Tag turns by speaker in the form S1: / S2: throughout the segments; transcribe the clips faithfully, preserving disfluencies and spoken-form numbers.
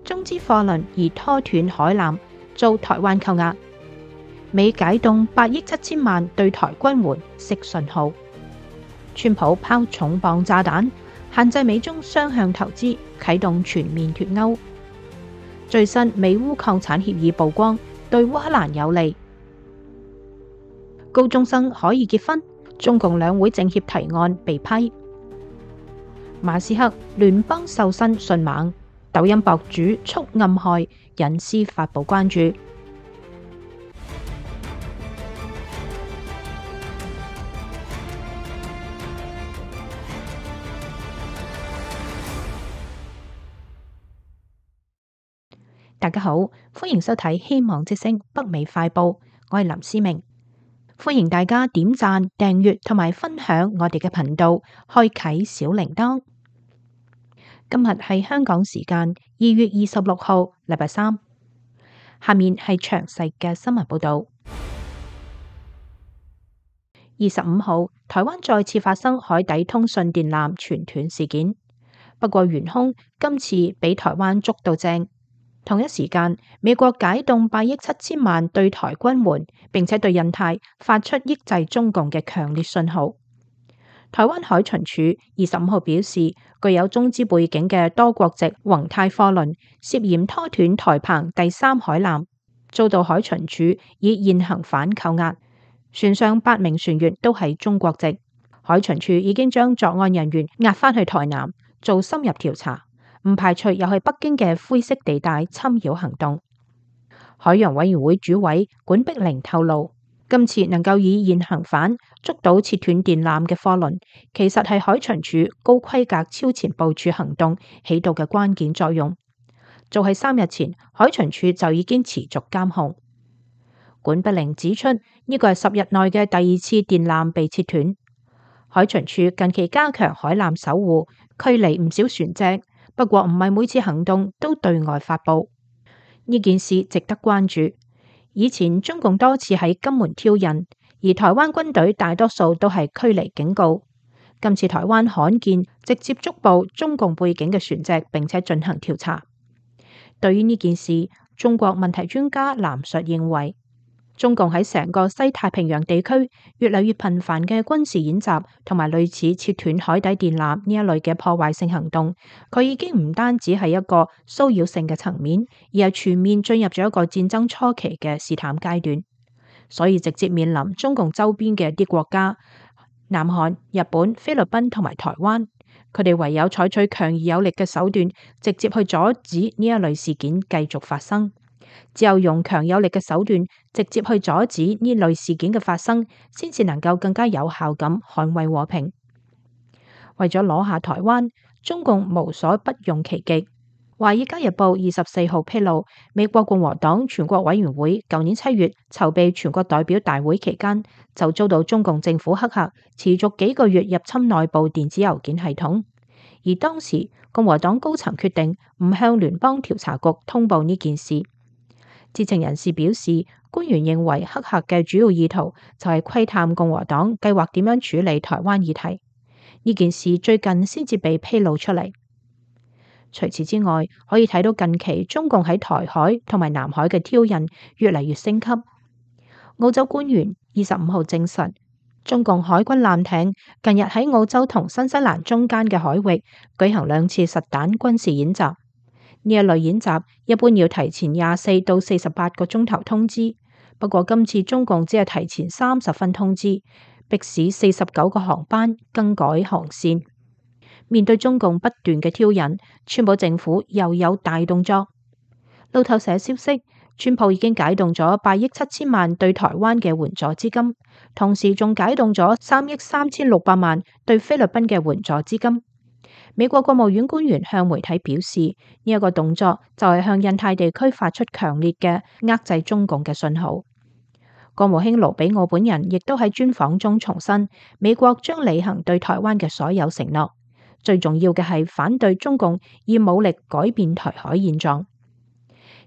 S1: 中資貨輪而拖斷海纜，遭台灣扣押。美解凍八億七千萬對台軍援釋信號。川普拋重磅炸彈，限制美中雙向投資，啟動全面脫鈎。最新美烏礦產協議曝光，對烏克蘭有利。高中生可以結婚，中共兩會政協提案被批。馬斯克聯邦瘦身迅猛，抖音博主蓄暗害，隱私發布關注。大家好，歡迎收睇希望之聲北美快報，我係林思明。歡迎大家點讚、訂閱同埋分享我哋嘅頻道，開啟小鈴鐺。今日係香港時間二月二十六號，禮拜三。下面係詳細嘅新聞報道。二十五號，台灣再次發生海底通訊電纜全斷事件，不過元兇今次俾台灣捉到正。同一時間，美國解凍八億七千萬對台軍援，並且對印太發出抑制中共嘅強烈信號。台灣海巡署二十五號表示，具有中資背景嘅多國籍宏泰貨輪涉嫌拖斷台澎第三海纜，遭到海巡署以現行犯扣押。船上八名船員都係中國籍，海巡署已經將作案人員押返去台南做深入調查。唔排除又係北京嘅灰色地帶侵擾行動。海洋委員會主委管碧玲透露，今次能夠以現行犯捉到切斷電纜嘅貨輪，其實係海巡署高規格超前部署行動起到嘅關鍵作用。早喺三日前，海巡署就已經持續監控。管碧玲指出，呢個係十日內嘅第二次電纜被切斷。海巡署近期加強海纜守護，驅離唔少船隻。不過唔係每次行動都對外發布，呢件事值得關注。以前中共多次喺金門挑釁，而台灣軍隊大多數都係驅離警告。今次台灣罕見直接捉捕中共背景嘅船隻，並且進行調查。對於呢件事，中國問題專家藍述認為，中共喺成個西太平洋地區越嚟越頻繁嘅軍事演習同埋類似切斷海底電纜呢一類嘅破壞性行動，佢已經唔單止係一個騷擾性嘅層面，而係全面進入咗一個戰爭初期嘅試探階段。所以直接面臨中共周邊嘅一啲國家，南韓、日本、菲律賓同埋台灣，佢哋唯有採取強而有力嘅手段，直接去阻止呢一類事件繼續發生。只有用強有力嘅手段，直接去阻止呢類事件嘅發生，先至能夠更加有效咁捍衛和平。為咗攞下台灣，中共無所不用其極。華爾街日報二十四號披露，美國共和黨全國委員會舊年七月籌備全國代表大會期間，就遭到中共政府黑客持續幾個月入侵內部電子郵件系統，而當時共和黨高層決定唔向聯邦調查局通報呢件事。知情人士表示，官員認為黑客嘅主要意圖就係窺探共和黨計劃點樣處理台灣議題。呢件事最近先至被披露出嚟。除此之外，可以睇到近期中共喺台海同埋南海嘅挑釁越嚟越升級。澳洲官員二十五號證實，中共海軍艦艇近日喺澳洲同新西蘭中間嘅海域舉行兩次實彈軍事演習。呢一類演習一般要提前廿四到四十八個鐘頭通知，不過今次中共只係提前三十分通知，迫使四十九個航班更改航線。面對中共不斷嘅挑釁，川普政府又有大動作。路透社消息，川普已經解凍咗八億七千萬對台灣嘅援助資金，同時仲解凍咗三億三千六百萬對菲律賓嘅援助資金。美國國務院官員向媒體表示，呢、這、一個動作就係向印太地區發出強烈嘅遏制中共嘅信號。國務卿盧比奧本人亦都喺專訪中重申，美國將履行對台灣嘅所有承諾，最重要嘅係反對中共以武力改變台海現狀。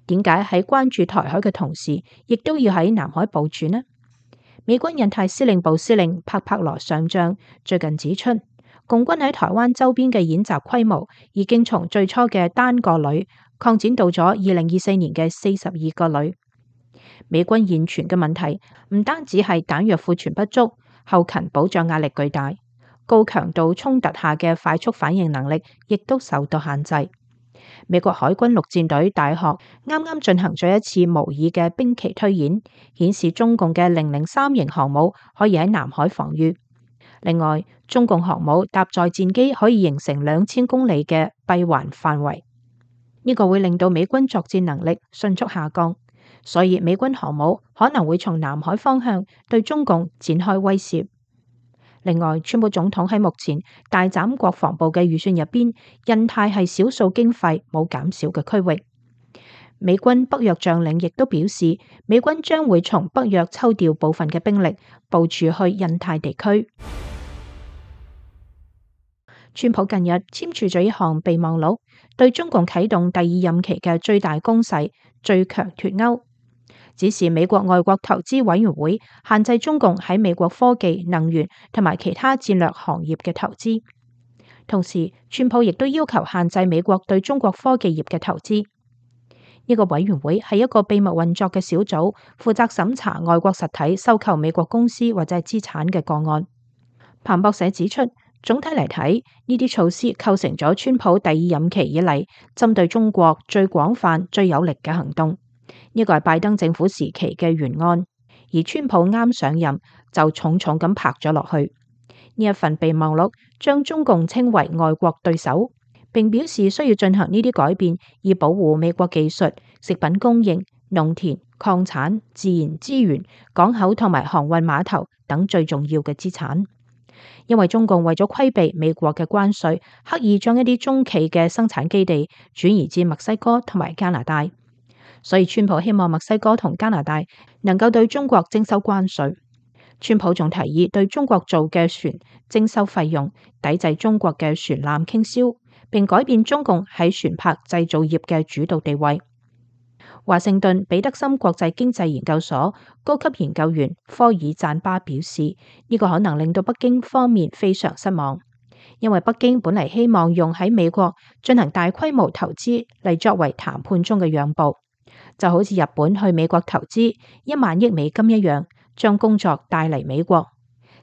S1: 點解喺關注台海嘅同時，亦都要喺南海部署呢？美軍印太司令部司令帕帕羅上將最近指出，共軍喺台灣周邊嘅演習規模已經從最初嘅單個旅擴展到咗二零二四年嘅四十二個旅。美軍現存嘅問題唔單止係彈藥庫存不足，後勤保障壓力巨大，高強度衝突下嘅快速反應能力亦都受到限制。美國海軍陸戰隊大學啱啱進行咗一次模擬嘅兵棋推演，顯示中共嘅零零三型航母可以喺南海防禦。另外，中共航母搭載戰機可以形成兩千公里嘅閉環範圍，呢個會令到美軍作戰能力迅速下降，所以美軍航母可能會從南海方向對中共展開威懾。另外，川普總統喺目前大斬國防部嘅預算入邊，印太係少數經費冇減少嘅區域。美軍北約將領亦都表示，美軍將會從北約抽調部分嘅兵力部署去印太地區。川普近日簽署咗一項備忘錄，對中共啟動第二任期嘅最大攻勢最強脫鈎，指示美國外國投資委員會限制中共喺美國科技、能源同埋其他戰略行業嘅投資。同時，川普亦都要求限制美國對中國科技業嘅投資。呢個委員會係一個秘密運作嘅小組，負責審查外國實體收購美國公司或者係資產嘅個案。彭博社指出，總體嚟睇，呢啲措施構成咗川普第二任期以嚟針對中國最廣泛、最有力嘅行動。呢個係拜登政府時期嘅原案，而川普啱上任就重重咁拍咗落去。呢一份備忘錄將中共稱為外國對手，並表示需要進行呢啲改變，以保護美國技術、食品供應、農田、礦產、自然資源、港口同埋航運碼頭等最重要嘅資產。因為中共為咗規避美國嘅關稅，刻意將一啲中企嘅生產基地轉移至墨西哥同埋加拿大，所以川普希望墨西哥同加拿大能夠對中國徵收關稅。川普仲提議對中國造嘅船徵收費用，抵制中國嘅船艦傾銷，並改變中共喺船舶製造業嘅主導地位。華盛頓彼得森國際經濟研究所高級研究員科爾贊巴表示，呢個可能令到北京方面非常失望，因為北京本嚟希望用喺美國進行大規模投資嚟作為談判中嘅讓步，就好似日本去美國投資一萬億美金一樣，將工作帶嚟美國。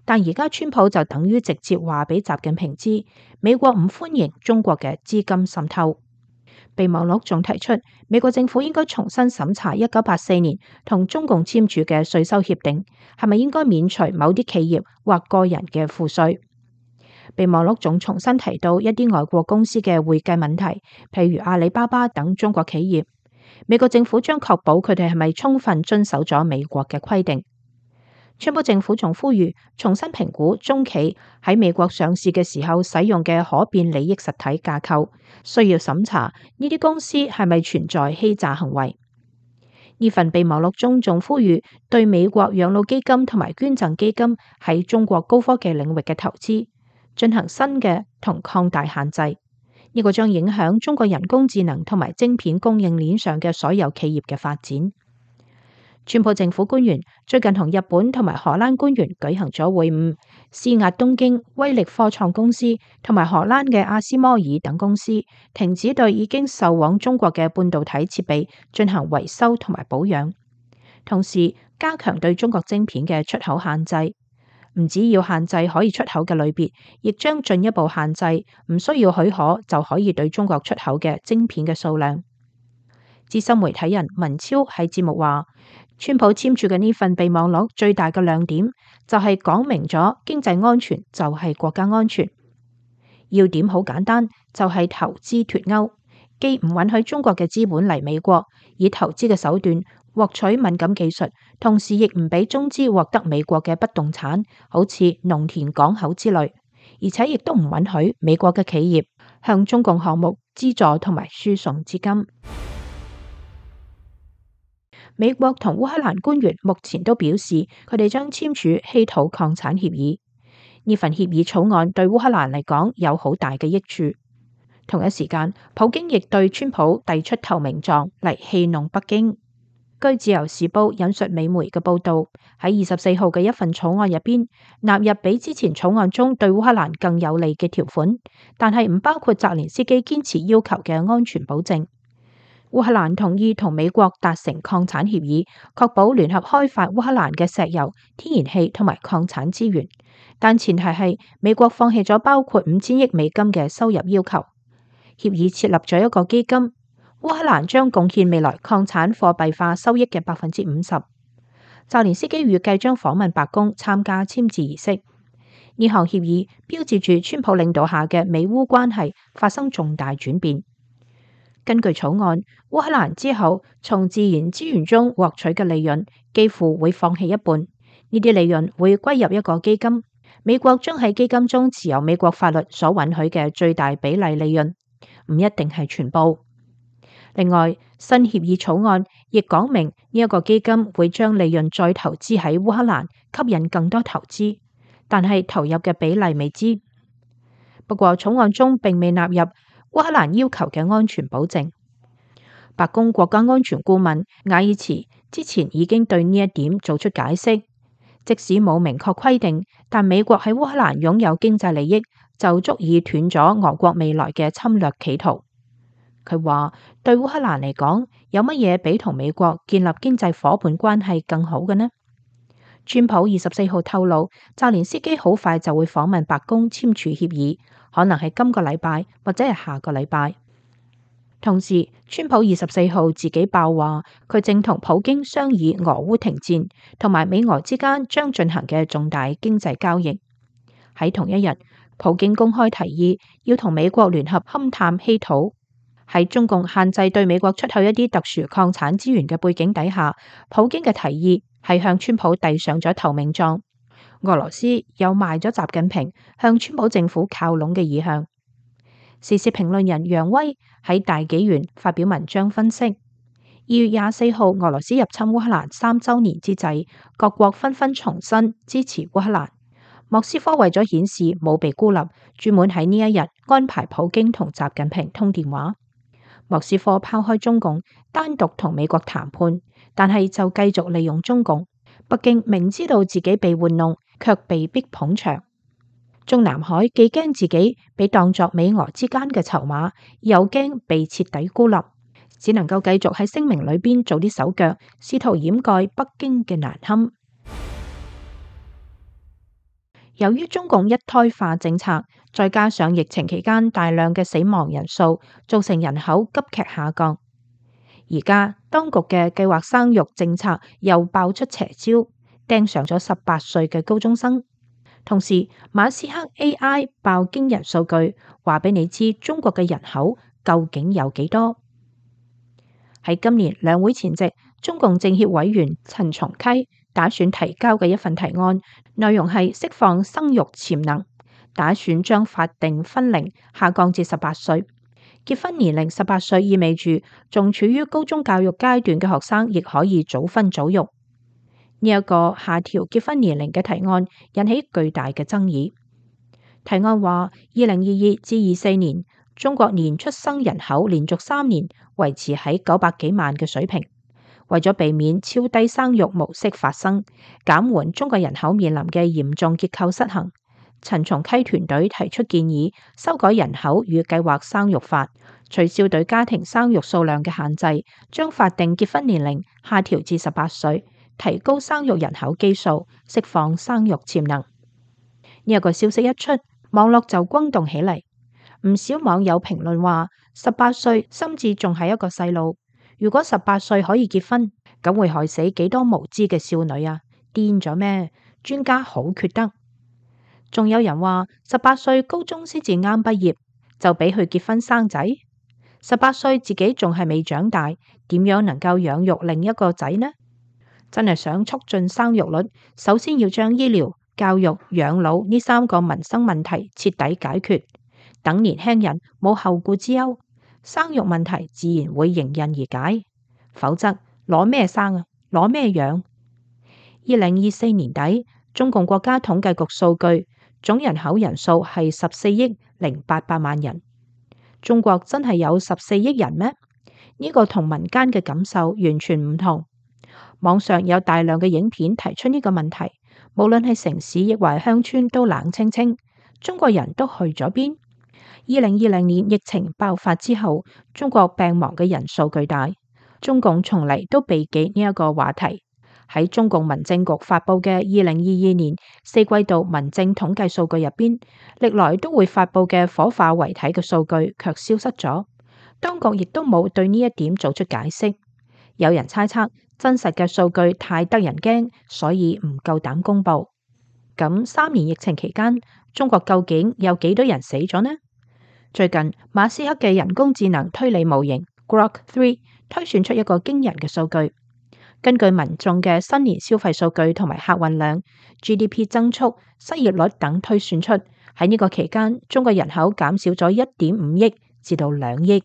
S1: 但而家川普就等於直接話俾習近平知，美國唔歡迎中國嘅資金滲透。備忘錄仲提出，美國政府應該重新審查一九八四年同中共簽署嘅稅收協定，係咪應該免除某啲企業或個人嘅賦稅。備忘錄仲重新提到一啲外國公司嘅會計問題，譬如阿里巴巴等中國企業，美國政府將確保佢哋係咪充分遵守咗美國嘅規定。川普政府仲呼籲重新評估中企喺美國上市嘅時候使用嘅可變利益實體架構，需要審查呢啲公司係咪存在欺詐行為。呢份備忘錄中仲呼籲對美國養老基金同埋捐贈基金喺中國高科技領域嘅投資進行新嘅同擴大限制，呢個將影響中國人工智能同埋晶片供應鏈上嘅所有企業嘅發展。川普政府官員最近同日本同埋荷蘭官員舉行咗會晤，施壓東京威力科創公司同埋荷蘭嘅阿斯摩爾等公司停止對已經售往中國嘅半導體設備進行維修同埋保養，同時加強對中國晶片嘅出口限制。唔只要限制可以出口嘅類別，亦將進一步限制唔需要許可就可以對中國出口嘅晶片嘅數量。資深媒體人文超喺節目話，川普簽署嘅呢份備忘錄最大嘅亮點就係講明咗經濟安全就係國家安全。要點好簡單，就係投資脫鈎，既唔允許中國嘅資本嚟美國以投資嘅手段獲取敏感技術，同時亦唔俾中資獲得美國嘅不動產，好似農田、港口之類，而且亦都唔允許美國嘅企業向中共項目資助同埋輸送資金。美國同烏克蘭官員目前都表示，佢哋將簽署稀土礦產協議。呢份協議草案對烏克蘭嚟講有好大嘅益處。同一時間，普京亦對川普遞出投名狀嚟戲弄北京。據自由時報引述美媒嘅報道，喺二十四號嘅一份草案入邊，納入比之前草案中對烏克蘭更有利嘅條款，但係唔包括澤連斯基堅持要求嘅安全保證。烏克蘭同意同美國達成礦產協議，確保聯合開發烏克蘭嘅石油、天然氣同埋礦產資源，但前提係美國放棄咗包括五千億美金嘅收入要求。協議設立咗一個基金，烏克蘭將貢獻未來礦產貨幣化收益嘅百分之五十。澤連斯基預計將訪問白宮參加簽字儀式。呢項協議標誌住川普領導下嘅美烏關係發生重大轉變。根據草案，烏克蘭之後從自然資源中獲取嘅利潤幾乎會放棄一半，呢啲利潤會歸入一個基金，美國將喺基金中持有美國法律所允許嘅最大比例利潤，唔一定係全部。另外，新協議草案亦講明呢一個基金會將利潤再投資喺烏克蘭，吸引更多投資，但係投入嘅比例未知。不過草案中並未納入烏克蘭要求嘅安全保證。白宮國家安全顧問瓦爾茨之前已經對呢一點做出解釋，即使冇明確規定，但美國喺烏克蘭擁有經濟利益就足以斷咗俄國未來嘅侵略企圖。佢話對烏克蘭嚟講，有乜嘢比同美國建立經濟夥伴關係更好嘅呢？川普二十四號透露，澤連斯基好快就會訪問白宮簽署協議，可能係今個禮拜或者係下個禮拜。同時，川普二十四號自己爆話，佢正同普京商議俄烏停戰，同埋美俄之間將進行嘅重大經濟交易。喺同一日，普京公開提議要同美國聯合勘探稀土。喺中共限制對美國出口一啲特殊礦產資源嘅背景底下，普京嘅提議係向川普遞上咗投名狀。俄羅斯又賣咗習近平向川普政府靠攏嘅意向。時事評論人楊威喺大紀元發表文章分析，二月廿四號俄羅斯入侵烏克蘭三週年之際，各國紛紛重申支持烏克蘭。莫斯科為咗顯示冇被孤立，專門喺呢一日安排普京同習近平通電話。莫斯科拋開中共，單獨同美國談判，但係就繼續利用中共。北京明知道自己被玩弄，卻被逼捧場。中南海既驚自己被當作美俄之間嘅籌碼，又驚被徹底孤立，只能夠繼續喺聲明裏邊做啲手腳，試圖掩蓋北京嘅難堪。由於中共一胎化政策，再加上疫情期間大量嘅死亡人數，造成人口急劇下降。而家當局嘅計劃生育政策又爆出邪招，盯上咗十八歲嘅高中生。同時，馬斯克 A I 爆驚人數據，話俾你知中國嘅人口究竟有幾多。喺今年兩會前夕，中共政協委員陳松溪打算提交嘅一份提案，內容係釋放生育潛能，打算將法定婚齡下降至十八歲。結婚年齡十八歲意味住仲處於高中教育階段嘅學生亦可以早婚早育。呢一個下調結婚年齡嘅提案引起巨大嘅爭議。提案話，二零二二至二四年中國年出生人口連續三年維持喺九百幾萬嘅水平。為咗避免超低生育模式發生，減緩中國人口面臨嘅嚴重結構失衡，陳松溪團隊提出建議，修改人口與計劃生育法，取消對家庭生育數量嘅限制，將法定結婚年齡下調至十八歲，提高生育人口基數，釋放生育潛能。呢一個消息一出，網絡就轟動起嚟。唔少網友評論話，十八歲甚至仲係一個細路。如果十八歲可以結婚，咁會害死幾多無知嘅少女啊？癲咗咩？專家好缺德。仲有人話，十八歲高中先至啱畢業，就俾佢結婚生仔。十八歲自己仲係未長大，點樣能夠養育另一個仔呢？真係想促進生育率，首先要將醫療、教育、養老呢三個民生問題徹底解決，等年輕人冇後顧之憂。生育問題自然會迎刃而解，否則攞咩生啊？攞咩養？二零二四年底，中共國家統計局數據，總人口人數係十四億零八百萬人。中國真係有十四億人咩？呢個同民間嘅感受完全唔同。網上有大量嘅影片提出呢個問題，無論係城市亦或係鄉村都冷清清。中國人都去咗邊？二零二零年疫情爆發之後，中國病亡嘅人數巨大，中共從嚟都避忌呢一個話題。喺中共民政局發佈嘅二零二二年四季度民政統計數據入邊，歷來都會發佈嘅火化遺體嘅數據卻消失咗，當局亦都冇對呢一點做出解釋。有人猜測真實嘅數據太得人驚，所以唔夠膽公布。咁三年疫情期間，中國究竟有幾多人死咗呢？最近馬斯克嘅人工智能推理模型 Grok 三推算出一個驚人嘅數據。根據民眾嘅新年消費數據同埋客運量、G D P 增速、失業率等推算出，喺呢個期間，中國人口減少咗一點五億至到兩億。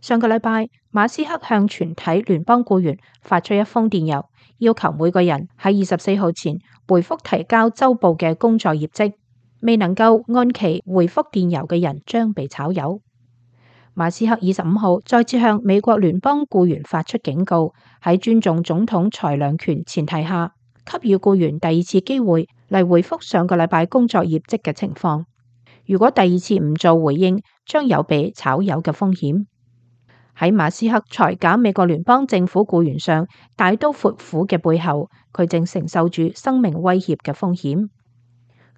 S1: 上個禮拜，馬斯克向全體聯邦僱員發出一封電郵，要求每個人喺二十四號前回覆提交週報嘅工作業績。未能夠按期回覆電郵嘅人將被炒魷。馬斯克二十五號再次向美國聯邦僱員發出警告，喺尊重總統裁量權前提下，給予僱員第二次機會嚟回覆上個禮拜工作業績嘅情況。如果第二次唔做回應，將有被炒魷嘅風險。喺馬斯克裁減美國聯邦政府僱員上大刀闊斧嘅背後，佢正承受住生命威脅嘅風險。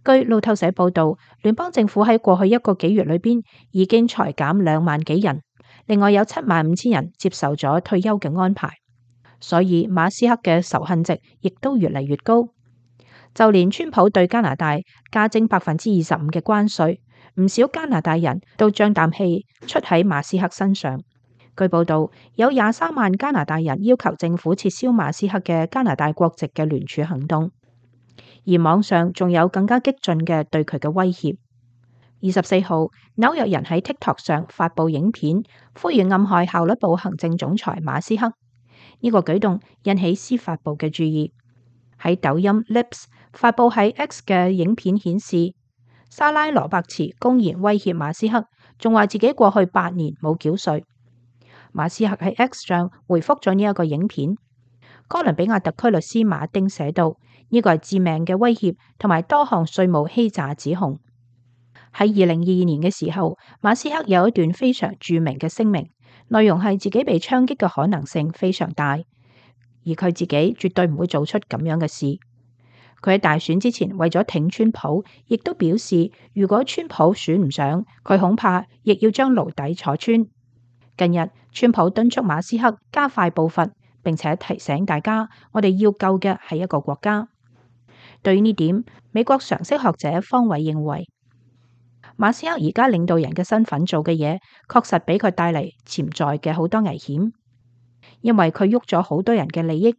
S1: 據路透社報道，聯邦政府喺過去一個幾月裏邊已經裁減兩萬幾人，另外有七萬五千人接受咗退休嘅安排，所以馬斯克嘅仇恨值亦都越嚟越高。就連川普對加拿大加徵百分之二十五嘅關稅，唔少加拿大人都將啖氣出喺馬斯克身上。據報道，有廿三萬加拿大人要求政府撤銷馬斯克嘅加拿大國籍嘅聯署行動。而網上仲有更加激進嘅對佢嘅威脅。二十四號，紐約人喺 TikTok 上發佈影片，呼籲暗害效率部行政總裁馬斯克。呢個舉動引起司法部嘅注意。喺抖音 Lips 發佈喺 X 嘅影片顯示，莎拉羅伯茨公然威脅馬斯克，仲話自己過去八年冇繳稅。馬斯克喺 X 上回覆咗呢一個影片。哥倫比亞特區律師馬丁寫道：呢個係致命嘅威脅同埋多項稅務欺詐指控。喺二零二二年嘅時候，馬斯克有一段非常著名嘅聲明，內容係自己被槍擊嘅可能性非常大，而佢自己絕對唔會做出咁樣嘅事。佢喺大選之前為咗挺川普，亦都表示如果川普選唔上，佢恐怕亦要將牢底坐穿。近日，川普敦促馬斯克加快步伐，並且提醒大家，我哋要救嘅係一個國家。對於呢點，美國常識學者方偉認為，馬斯克而家領導人嘅身份做嘅嘢，確實俾佢帶嚟潛在嘅好多危險，因為佢喐咗好多人嘅利益，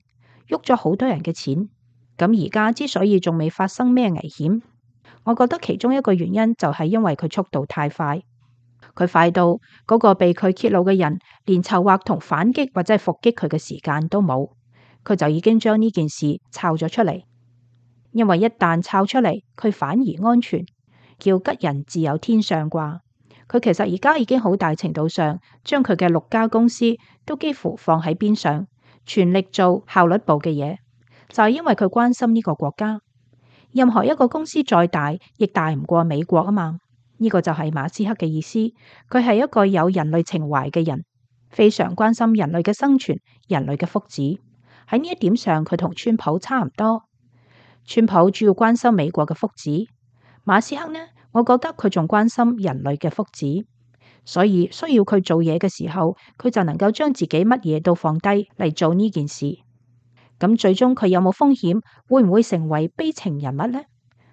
S1: 喐咗好多人嘅錢。咁而家之所以仲未發生咩危險，我覺得其中一個原因就係因為佢速度太快。佢快到嗰個被佢揭露嘅人連籌劃同反擊或者係伏擊佢嘅時間都冇，佢就已經將呢件事抄咗出嚟。因為一旦抄出嚟，佢反而安全，叫吉人自有天相啩。佢其實而家已經好大程度上將佢嘅六家公司都幾乎放喺邊上，全力做效率部嘅嘢，就係因為佢關心呢個國家。任何一個公司再大，亦大唔過美國啊嘛。呢個就係馬斯克嘅意思，佢係一個有人類情懷嘅人，非常關心人類嘅生存、人類嘅福祉。喺呢一點上，佢同川普差唔多。川普主要關心美國嘅福祉，馬斯克呢，我覺得佢仲關心人類嘅福祉，所以需要佢做嘢嘅時候，佢就能夠將自己乜嘢都放低嚟做呢件事。咁最終佢有冇風險？會唔會成為悲情人物呢？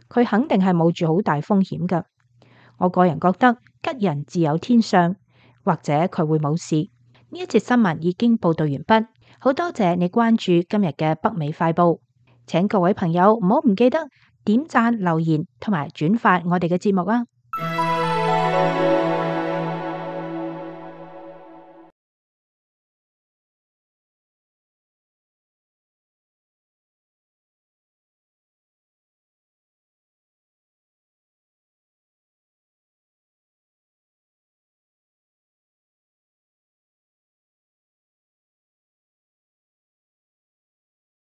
S1: 佢肯定係冒住好大風險㗎。我個人覺得吉人自有天相，或者佢會冇事。呢一節新聞已經報道完畢，好多謝你關注今日嘅北美快報，請各位朋友唔好唔記得點讚、留言同埋轉發我哋嘅節目啊！